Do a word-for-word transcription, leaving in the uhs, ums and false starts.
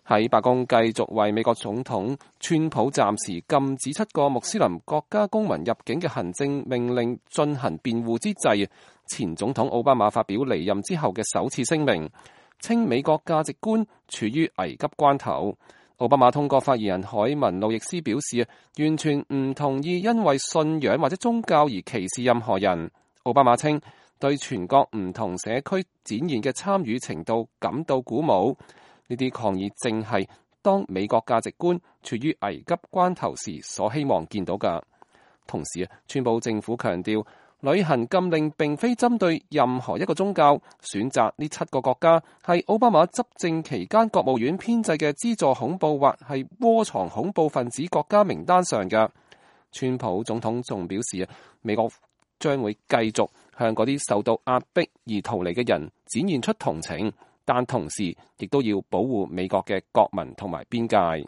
喺白宮繼續為美國總統川普暫時禁止七個穆斯林國家公民入境嘅行政命令進行辯護之際，前總統奧巴馬發表離任之後嘅首次聲明，稱美國價值觀處於危急關頭。奧巴馬通過發言人凱文路易斯表示，完全唔同意因為信仰或者宗教而歧視任何人。奧巴馬稱對全國唔同社區展現嘅參與程度感到鼓舞。呢啲抗議正係當美國價值觀處於危急關頭時所希望見到嘅。同時，川普政府強調，旅行禁令並非針對任何一個宗教，選擇呢七個國家係奧巴馬執政期間國務院編製嘅資助恐怖或係窩藏恐怖分子國家名單上嘅。川普總統仲表示，美國將會繼續向嗰啲受到壓迫而逃離嘅人展現出同情，但同時亦都要保護美國嘅國民同埋邊界。